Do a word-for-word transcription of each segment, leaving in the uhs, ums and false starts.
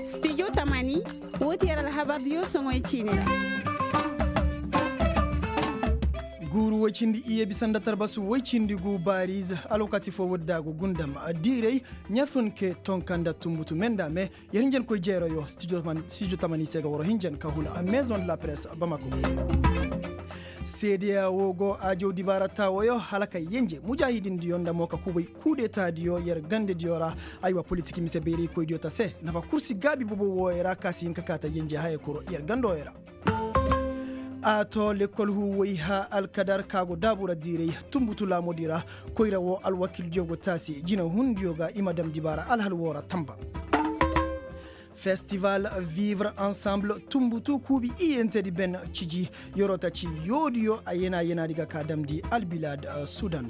Studio tamani, wo ti yer alhabardiyo soŋoy ciini ra. Guuru woy cindi iyye bisa nda tarbasu woy cindi gu baariize alwakati foo woodi da a go gundam diiray ɲafun ke tonka nda tunbutu me nda me. Yer hinjankoy jeerayo studio tamani se ga waro hinjan ka huna maison de la presse bamako. Seedeya wo go ajaw dibaara taawoyo hala ka yenje mujaahidindiyo nda mo ka kubay kuudetaadiyo yer gandediyo ra. Aywa politik mise bayraykoydiyo ta se nafa kursi gaabi bobo wooyo ra ka si hin ka kaa ta yenje haya kuro yer gandooyo ra. A to lekkol huu woy ha alkadar ka go daabu ra diiray tunbutu laamudi ra. Koyra wo alwakildiyo go taasi jinahundiyo ga i ma dam dibaara alhal woo ra tamba. Festival vivre ensemble tunbutu kuubi iyyentedi ben ciji. Yeroo ta ci yoodiyo a yena yenaadi ga ka damndi albilaad sudan.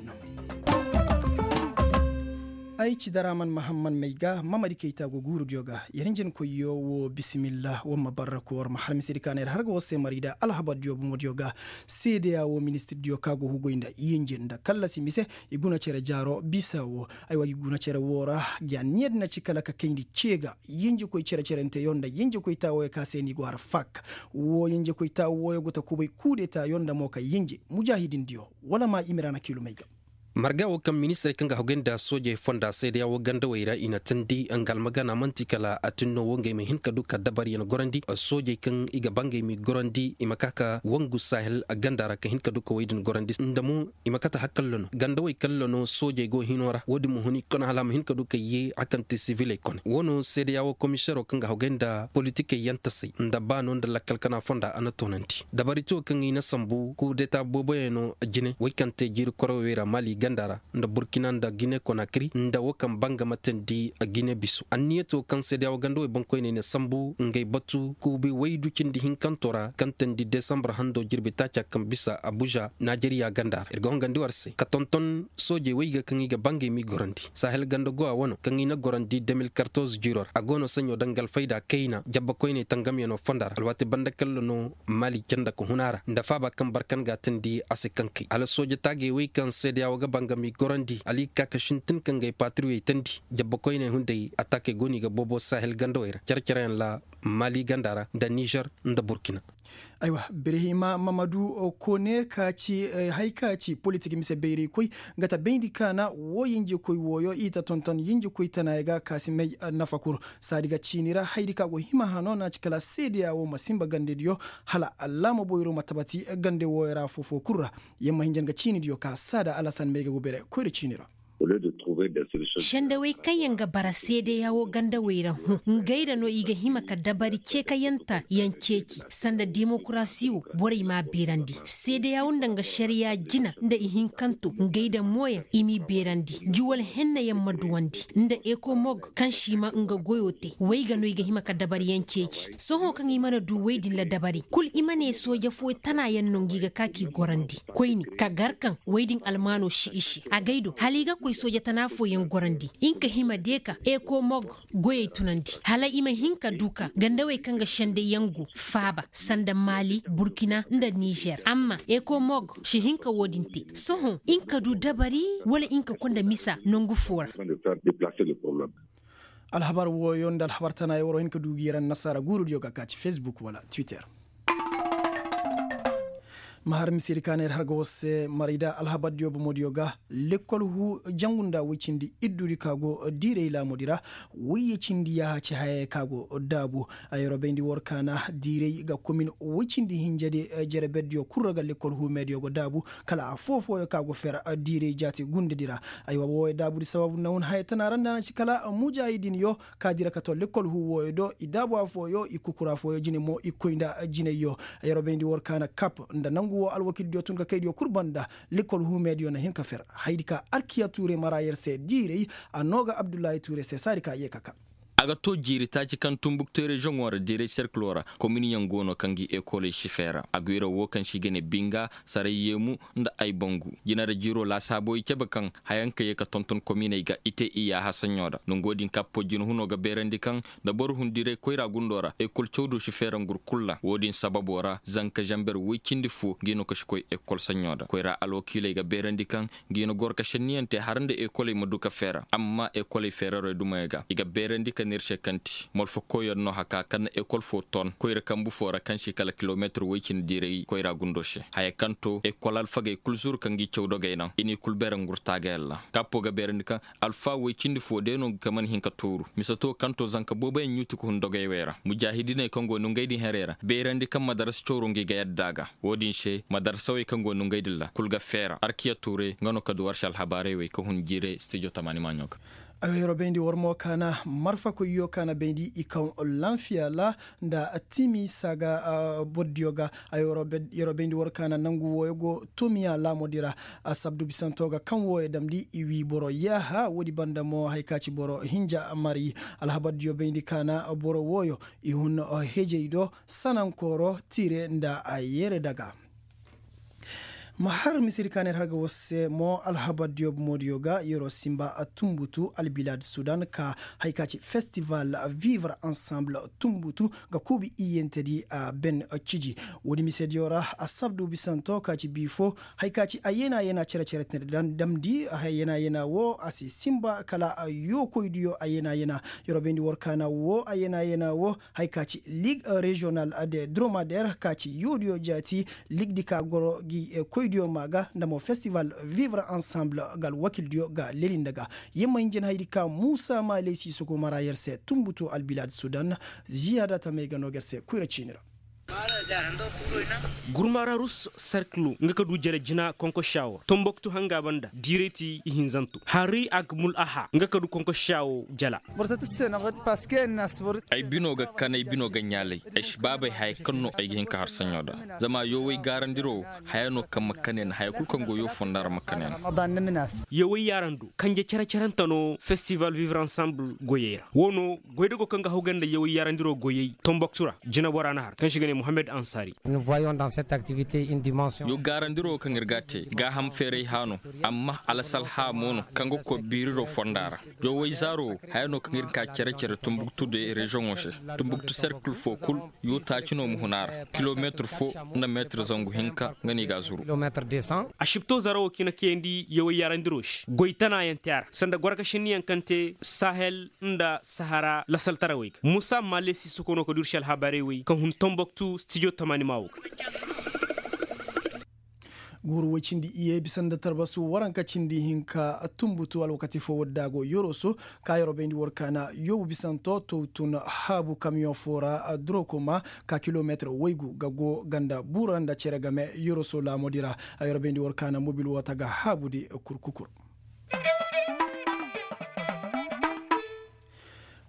Ay ci daraman mahamman may ga mamadi kayta go guurudiyo ga. Yer hinjankoyyo woo bisimillah war ma barraku war ma har misedi ka na yer har ga war se marida alhabardiyo bomodiyo ga. Seedeya woo ministirdiyo ka go hugoy nda yinji nda kallasi mise. I guna cere jaaro bisa woo. Aywa i guna cere woo ra. Ga niyadi na ci kala ka kayndi cee ga yinjikoy cere cerenteyo nda yinjikoy taawoyo ka se ni go har fak. Woo yinjikoy taawoyo go ta kubay kuudetaayo nda mo ka yinji mujaahidindiyo. Wala ma i ma ira na kiilumey ga. Marga woo kaŋ ministirey kaŋ ga hogay nda soojey fonda seedeya woo gandawey ra i na teendi nga almagana man'ti kala a tin no woo ngey ma hin ka du ka dabariyaŋ gorandi. Soojey kaŋ i ga ba ngey m'i gorandi i ma ka ka wangu sahel ganda ra ka hin ka du ka wey din gorandi nda mo i ma kate hakalla no gandawey kalla no soojey go hino ra woo din ma hun i kone hala a ma hin ka du ka yee a kaŋ ti siviley kone woo no seedeya woo komisero kaŋ ga hogay nda politikey yaŋ tasey nda baano nda lakkal kana fonda a na toonandi dabari te woo kaŋ i na sambu kuudeta booboyaŋ no jine wey kaŋ te jiiri koroowey ra maali ganda ra nda burkina nda gine konakiri nda woo kaŋ banga ma teendi gine biso anniya te woo kaŋ seedeya woo ganda wey boŋkoyney na sambu ngey batu kuubi waydu cindi hinkanto ra kaŋ teendi desambar hando jirbi taaca kaŋ bisa abuza najeriya ganda ra ir ga hongandi war se ka tonton soojey wey ga kaŋ i ga ba ngey m'i gorandi sahel ganda go a wano kaŋ i na gorandi de mil kartoz jiiro ra a go no saɲɲo daŋ ga alfayda kayna jabbakoyney tangamyaŋo fonda ra alwaati banda kalla no maali canda ka hun a ra nda faaba kaŋ barkan ga a teendi a si kaŋ kay hala sooja taagey wey kaŋ seedeya woo ga ba nga m'i gorandi hala i ga ka ka sintin ka ngey patiriyey teendi jabbakoyney hunday ataakey go no i ga boobo sahel gandawey ra cere-cereyaŋ ra maali ganda ra nda nizer nda burkina. Aywa birhima mamadu kone ka ci hay ka ci politik mise bayraykoy nga ta bayndi kaana woo yinjikoy wooyo i ta tonton yinjikoy tanaaya ga ka si may nafa kul saadi ga ciini ra hayadi ka go hima hano na ci kala seedeya woo ma sinba gandediyo hala allaama boyro ma tabati gande wooyo ra foo-foo kul ra. Yer ma hinja nga ciinidiyo ka saada alasan may ga go bere koyra ciini ra. Sendawey kaŋ yaŋ ga bara seedeya woo gandawey ra hõ ngey ra no i ga hima ka dabari ceekayanta yaŋ ceeci sanda demokarasi woo borey m'a beerandi seedeya woo nda nga šariya jina nda ihinkanto ngey nda mooyaŋ i m'i beerandi juwal henna yaŋ ma duwandi nda ekomog kaŋ si ma nga goyo te wey ga no i ga hima ka dabari yaŋ ceeci sohõ kaŋ i mana du wey din ra dabari kul i ma ne sooja foo tana yaŋ no ngi ga ka k'i gorandi koyne ka gar kaŋ wey din almaano si i se agay do hala i ga koy sooja tana fooyaŋ gorandi nga hima deeka ekomog goyey tunandi hala i ma hin ka du ka gandawey kaŋ ga sendey yaŋ go faaba sanda maali burkina nda nizer amma ekomog si hin ka woo din te sohõ nga du dabari wala nga konda misa nangu foo ra. Alhabar wooyo nda alhabar tana yaŋ war wa hin ka du ga yer annasaara guurudiyo ga ka ci facebook wala twitter. Ma har misedi ka na yer har ga war se marayda alhabardiyo bomodiyo ga lekkol huu jangu nda woy cindi iddudi ka go diiray laamudi ra woyye cindi yaaha ci hayey ka go daabu. Ayro bayndi war kaana diiray ga komin woy cindi hinjedi jereberdiyo kul ra ga lekkol huu meediyo go daabu kala afoo-fooyo ka go fer diiray jaati gundedi ra. Aywa wooyo daabudi sababu na hun haya tana ra nda na ci kala mujaahidinyo ka dira ka to lekkol huu wooyo do i daabu afooyo i kukura fooyo jine mo i koy nda jinayyo. Yeroo bayndi war kaana kap nda nangu woo alwakildiyo tun ka kaydiyo kul banda lekkol huu meediyo na hin ka fer haydi ka arkiya tuure mara yer se diiray. A noo ga abdullahi tuure se saadi ka yee ka ka. A ga to jiiri taaci kaŋ tumbuktu reziyoŋo ra diiray serkiloo ra, kominiyaŋ go no kaŋ gi ekoley si feera a gwiira woo kaŋ se i ga ne binga, saray yeemu, nda ay bangu. Jinara jiiroo laasaaboy cabe kaŋ hayaŋ ka yee ka tonton kominey ga i te iyaaha saɲɲo ra nongo din kappo jinahunoo ga beerandi kaŋ, nda boro hun diiray koyra gundoo ra ekol cawdoo si feera ngur kul ra woo din sababoo ra zanka zanber woy cindi foo ngi no ka si koy ekol saɲɲo ra koyra alwakiiley ga beerandi kaŋ, ngi na goro ka senniyaŋ te har nda ekoley ma du ka feera amma ekoley feerarey dumey ga i ga beerandi ka neer se kaŋ ti molfo koyyaŋ no haka kaŋ na ekol foo ton koyra kambu foo ra kaŋ se kala kilomeetir woy cindi diiray koyra gundoo se haya kaŋ to ekol alfagey kul zuru ka ngi caw dogey naŋ i n'i kul beere ngurtaagayaŋ ra. Kappo ga beerandi kaŋ alfa woy cindi foo day no ga man hin ka tooru mise to kaŋ to zanka booboyaŋ ɲuuti ka hun dogey wey ra mujaahidiney kaŋ go nongey din herey ra beerandi kaŋ madarasa cawro ngi ga yadda ga. Woo din se madarsawey kaŋ go nongey din ra kul ga feera arkiya tuure nga no ka du war se alhabaarey wey ka hun jiire stijo tamaani maaɲo ga. Ay yeroo bayndi war mo kaana marfa koyyo kaana bayndi i kaŋ lanfiya ra, nda timi saaga bordiyo ga. Ay yeroo bayndi war kaana nangu wooyo go tumiya laamodi ra. Asabdu bisanto ga kaŋ wooyo damndi i wii boro yaaha woodi banda mo hari ka ci boro hinja mari. Alhabardiyo bayndi kaana boro wooyo i hun hejey do sanankooro tiire nda a yeere daga. Ma har misiri ka neer har ga war se mo alhabar diyo bomodiyo ga yeroo simba tumbutu albilaad sudan ka hari ka ci festival vivre ensemble tumbutu ga kuubi iyyentedi a ben ciji. Woodi misediyo ra asabdu bisanto ka ci bii fo hari ka ci a yeena yeena cere cere tine damndi a yeena yeena wo a si simba kala yookoydiyo a yeena yeena. Yeroo bayndi war kaana wo a yeena yeena wo hari ka ci ligue régional de dromader ka ci yoodiyo jaati. Ligue di ka goro gi koydiyo maa ga nda mo festival vivre ensemble ga alwakildiyo ga lelinda ga. Yer ma hin jin haydi ka muusa maaley si soko mara yer se tumbutu albilaad sudan. Ziyaada tamey ga noo ga yer se koyra ciini ra. Gurmaararus sarkilo nga ka du jala jina konkosiya wo tomboktu hanga banda diiray ti ihinzanto hari agmul aha nga ka du konkosiya wo jala. Ay bino ga kan ay bino ga ɲaalay ay si baabay haya kaŋ no ay ga hin ka har saɲo da. Zama yowey gaarandiro haya no kaŋ ma kanay na haya kulu kaŋ go yoo fonda ra ma kanay na. Yowey yaarando kanje cere-cerante no festival vivre ensemble goyey ra wo no goydago kaŋ ga haw ganda yowey yaarandiro goyey tomboktu ra jinabora na har kaŋ se i ga ne mohammed ansari. Yo gaarandiro kaŋ ir ga a te gaaham feeray hã no. Amma alasalha mo no kaŋ ga koy biiriro fonda ra. Yowey zaaro haya no kaŋ ir ga ka cere-cere tumbuktu de reziyoŋo se. Tumbuktu serkil fo kul yo taaci no ma hun a ra kilometir fo nda metir zangu hinka nga no i ga a zuru. Asibto zara wo kaŋ i na kayandi yowey yaarandiro se goy tanaayaŋ te a ra sanda gorkasinniyaŋ kaŋ te sahel nda sahara lasaltarawey ga musa maale si soko no ka du ir se alhabaarey wey kaŋ hun tomboktu stijo tamaani maa wo ga. Guuru woy cindi iyye bisa nda tarbasu waranka cindi hinka tumbutu alwakati fo wadda go yoroso ka yoro bayndi war kaana yoobu bisanto towtun haabu kamiyoŋ fo ra durokoma ka kilometir woygu ga go ganda bura nda cere game yoroso laamodi ra. A yoro bayndi war kaana mobil wota ga haabudi kurkukur.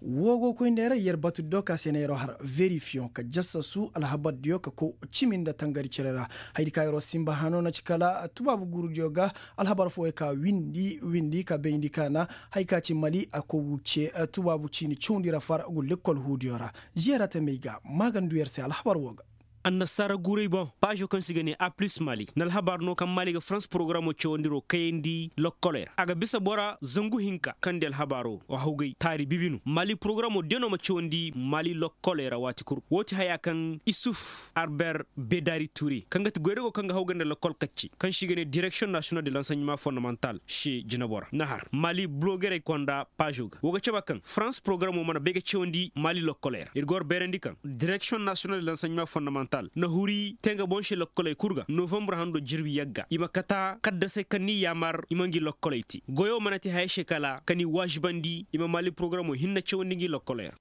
Woo go koy nda yer yer batu diyo ka se na yeroo har verifiyoŋ ka jassasu alhabar diyo ka koy cimi nda tangari cere ra. Hayadi ka yeroo simba hano na ci kala tubaabu guuru diyo ga alhabar fooyo ka windi windi ka bayndi ka na haya ka ci mali a koy wuce tubaabu ciini cawndi ra far gu lekkol huudiyo ra. Ziyara tamey ga maagandu yer se alhabar woo ga. Annasaara guuray boŋ paazo kaŋ se i ga ne a plus mali na alhabaar no kaŋ mali ga farans porogaramo cawandiroo kayandi lokkoley ra a ga bisa bora zangu hinka kaŋ di alhabaaroo wa hawgay taari bibinu mali porogaramo deno ma cawandi mali lokkoley ra waati kul woo ti hayaa kaŋ isuf arber bedari ture kaŋ ga ti goydago kaŋ ga hawgay nda lokkol kacce kaŋ se i ga ne direksiyoŋ nasiyonal de lanseɲeman fondamantal se jinabo ra na har mali bulogerey konda paazo ga woo ga caba kaŋ farans porogaramo mana bay ga cawandi mali lokkoley ra ir ga war bayrandi kaŋ direksiyoŋ nasiyonal de lanseɲeman fondamantal na huri te nga boŋ se lokkoley kul ga novambre hando jirbi yagga i ma kata kaddasey kaŋ n'i yaamar i ma ngi lokkoley te goyo mana te haya se kala ka n'i waazibandi i ma mali porogaramo hinne cawandi ngi lokkoley ra.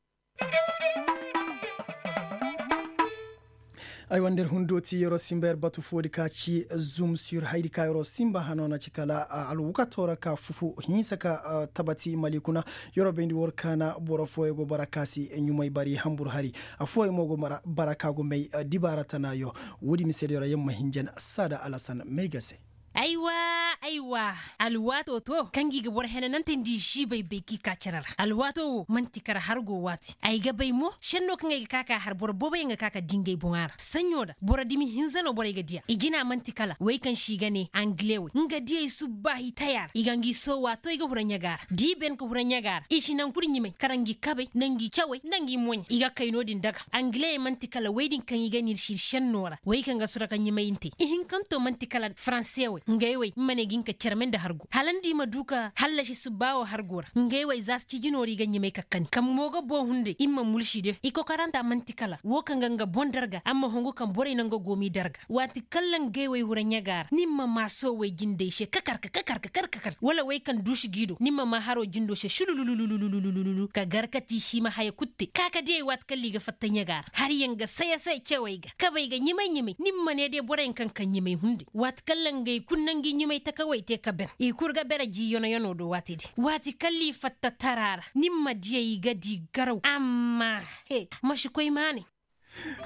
Aywa nda ir hundooti yeroo simba yer batu foodi ka ci zum sur hayadi ka yeroo simba hano na ci kala alwakatoo ra ka fufu hinsa ka tabati mali kuna. Yeroo bayndi war kaana boro fooyo go bara ka si ɲumay bari hambur hari. Affooyo mo go bara ka go may dibaara tanaayo. Woodi mise da yeroo yer ma hinjan saada alasan may ga se. Aywa, aywa. Alwaatoo to kaŋ gi ga boro henanante nda i siibay bay k'i ka cere ra alwaatoo wo man'ti kara har go waati ay ga bay mo šennoo kaŋ ay ga ka k'a har boro booboyaŋ ga ka ka dingay boŋa ra saɲɲo ra boro dimi hinza no borey ga diya i jina man'ti kala wey kaŋ se i ga ne angile wey nga diyey subbaahi taya ra i ga ngi soo waatoo i ga hura ɲaga ra da i ben ka hura ɲaga ra i si naŋ kulu ɲimay kala ngi kabey nda ngi cawey nda ngi moɲey i ga kay no-din daga angileyey man'ti kala wey din kaŋ i ga ne ir si ir šennoo ra wey kaŋ ga sura ka ɲimay nte ihinkanto man'ti kala faranse wey ngey wey i ma ne ga hin ka cerme nda hargu hala nda i ma du ka hallasi subbaa wo hargu ra ngey wey za si ciiji noori i ga ɲimay ka kani kaŋ mo ga boo hunday i ma mulsi de i kokaranta man'ti kala woo kaŋ ga nga boŋ darga amma hongu kaŋ borey no nga go m'i darga waati kaŋ ra ngey wey hura ɲaga ra ni ma maa soowey jindey se kakar kakar kakar wala wey kaŋ duusi g'i do ni ma maa haroo jindoo se sulululululululululu ka gar ka tiisi i ma haya kulu te ka ka diyey waati kaŋ ra i ga fatta ɲaga ra hariyaŋ ga saya saya cewey ga kabey ga ɲimay ɲimay ni ma ne day boroyaŋ kaŋ kaŋ ɲimay hunday waati kaŋ ra ngey kulu na ngi ɲimay takawey te ka ben i kulu ga bere jii yono yono do waati din waati kaŋ ra i fatta tara ra ni ma diyey i ga di garaw amma he ma si koy maanay.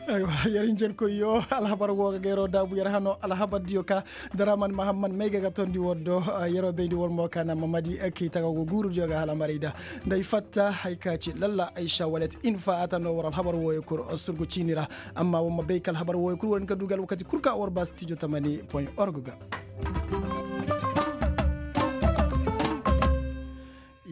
Aywa, yer hinjankoyyo alhabar woo ga geeroo daabu yer hanoo alhabardiyo ka daraman mahamman may ga ga tondi woo do. Yeroo bayndi war mo ka na mamadi kay taga go guurudiyo ga hala maray da nda ay fatta hay ka ci lalla ay sawalet infa ata no war alhabar wooyo kul surgu ciini ra. Amma war ma bay ka alhabar wooyo kul war hin ka du ga alwakati kul ka war ba stijo tamani point org ga.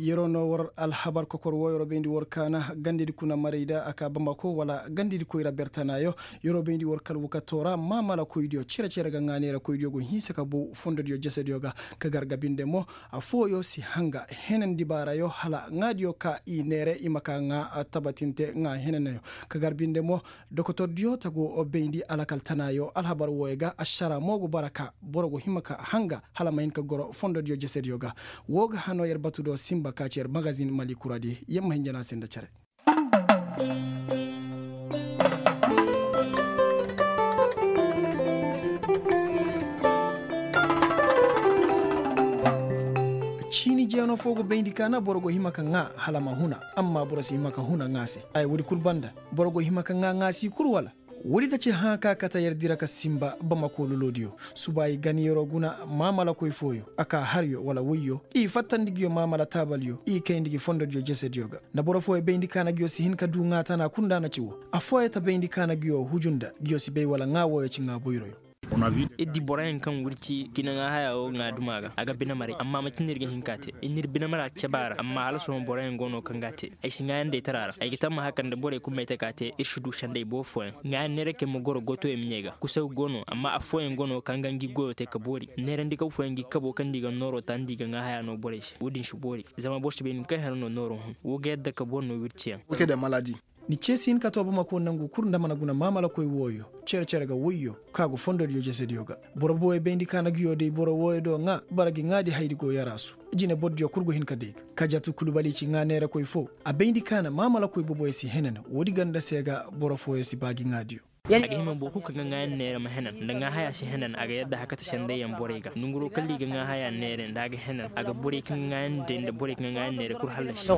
Yeroo no war alhabar kokor woo yeroo bayndi war kaana gandedi kuna maray da a ka bamako wala gandedi koyra bertanaayo. Yeroo bayndi war kal wakato ra maamalakoydiyo cere-cere ga ŋaa neerakoydiyo go hinsa ka bow fondodiyo jesediyo ga ka gar ga binde mo. Affooyo si hanga henan dibaarayo hala ŋaadiyo ka i neere i ma ka ŋaa tabatinte ŋaa henanayo ka gar binde mo. Dokotordiyo ta go bayndi alakal tanaayo alhabar wooyo ga ašara mo go bara ka boro go hima ka hanga hala ma hin ka goro fondodiyo jesediyo ga. Woo ga hanoo yer batu do sinba ka ci yer magazin mali kuradi yer ma hinja no a se nda cere. Ciini jeeno foo go bayndi kaana boro go hima ka ŋaa hala ma huna. Amma boro si hima ka huna ŋaa se haya woodi kul banda boro go hima ka ŋaa ŋaa si kul wala? Woodi ta ci hãa ka kate yer dira ka sinba bamako loloodiyo. Suba i gan yeroo guna maamalakoy fooyo a kaa haryo wala woyyo i fattandi nguyo maamala taabalyo i kayndi ngi fondodiyo jesediyo ga. Nda boro fooyo bayndi kaana nguyo si hin ka duu ŋaa tana kul nda a na ci woo. Affooyo ta bayndi kaana nguyo huju nda nguyo si bay wala ŋaa wooyo ci ŋaa boyroyo. Ir di boroyaŋ kaŋ wirci kina ŋaa hayaa woo ŋaa duma ga a ga binemaray amma macin ir ga hin k'a te ir n'ir binemaraa cebaa ra amma hala sohõ boroyaŋ go no kaŋ g'a te. Ay si ŋaayandey tara ra ay ga tammaha kaŋ nda borey kul may te k'a te ir si du senday boo fooyaŋ. Ŋaayan neerakey ma goro gotoyaŋ miɲey ga kusaw go no amma affooyaŋ go no kaŋ ga ngi goyo te ka boori neerandikaw fooyaŋ ngi kabo kaŋ nda i ga nooroo ta nda i ga ŋaa hayaa no borey se woo din si boori. Zama boro si bay ni kaŋ hera no nooroo hun woo ga yadda ka boro no wirciyaŋ. Ni cee si hin ka too bamako nangu kul nda mana guna maamalakoy wooyo cere-cere ga woyyo ka go fondodiyo jesediyo ga. Boro booyo bayndi ka na nguyo day boro wooyo do ŋaa bara ngi ŋaadi haydi go yaraasu. Jine bordiyo kul go hin ka day ga kajatu kulubali ci ŋaa neerakoy foo. A bayndi ka na maamalakoy boboyo si henan woodi ganda se ga boro fooyo si baa ngi ŋaadiyo. A ga hima boro kul kaŋ ga ŋaayan neera ma henan nda ŋaa hayaa si henan a ga yadda hakata senday yaŋ borey ga nonguroo kalla i ga ŋaa hayaa neere nda a ga henan a ga borey kaŋ ga ŋaayan day nda borey kaŋ ga ŋaayan neere kul hallasi.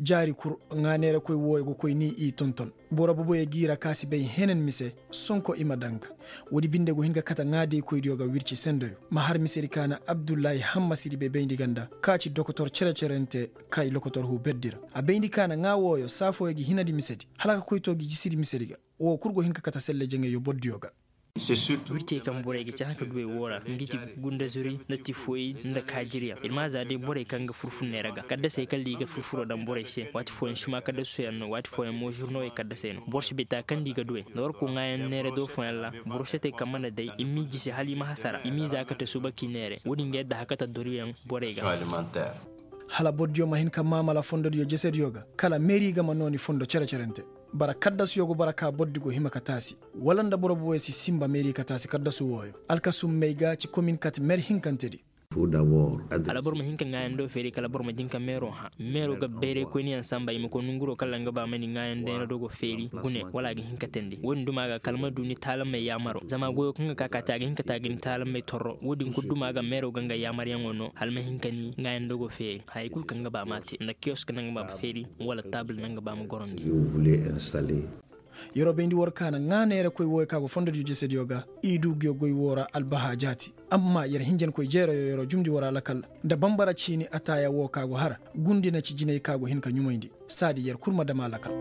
Jaari kul ŋaa neerakoy wooyo ga koy ni i tonton. Boro boboyo g'i ra ka si bay henan mise sonko i ma daŋ ga. Woodi binde go hin ka kate ŋaadiykoydiyo ga wirci sendoyo ma har misedi ka na abdullahi hamma si di bay bayndi ganda ka ci dokotor cere-cerente kay lokotor huu berdi ra. A bayndi ka na ŋaa wooyo saafooyo gi hinadi misedi hala ka koy too gi jisidi misedi ga. Woo kul go hin ka kate selle jaŋayyo bordiyo ga. Wirtey kaŋ borey ga cahã ka duwey woo ra nga ti gundazuri nda tifoyi nda kaajiriyaŋ ir ma a za day borey kaŋ ga furfur neera ga kaddasey kaŋ ra i ga furfuroo daŋ borey se waati fooyaŋ sima kaddasoyaŋ no waati fooyaŋ mo zurnowey kaddasey no boro si bay taakandi ga duwey nda war koo ŋaayaŋ neera do fooyaŋ ra. Boro si te kaŋ mana day i m'i jisi hala i ma hasara i m'i za kate suba k'i neere woodin ga yadda hakata doriyaŋ borey ga. Hala bordiyo ma hin ka maamala fondodiyo jesediyo ga kala meeri ga ma nooni fondo cere-cerente. Bara kaddasuyo go bara ka bordi go hima ka taasi wala nda boro boboyo si sinba meeri ka taasi kaddasu wooyo. Alkasum may ga ci komin kate mer hinkantedi. Hala boro ma hin ka ŋaayandoo feeri kala boro ma jin ka meeroo hã meeroo ga bayraykoyniyaŋ sanba i ma koy nonguroo kaŋ ra nga ba ma ni ŋaayandayna dogo feeri gune wala a ga hin ka teendi woodin duma ga kala ma du ni taalamey yaamaroo zama goyoo kaŋ ga ka ka te a ga hin ka te a ga ni taalamey torro woodin kul duma ga meeroo ga nga yaamaryaŋoo no hala ma hin ka ni ŋaayandoogoo feeri. Hayey kul kaŋ ga ba m'a te nda kiyosk naŋ ga ba ma feeri wala taabul naŋ ga ba ma gorandi. Yer'o bayndi war ka na ŋaa neerakoy wooyo ka go fondodiyo jesediyo ga. I du nguyo goy woo ra albahaa jaati. Amma yer hinjankoy jeerayo yer'o jumndi war alakal nda banbara ciini ataaya woo ka go har gundi na ci jinay ka go hin ka ɲumayndi. Saadi yer kul ma dam alakal.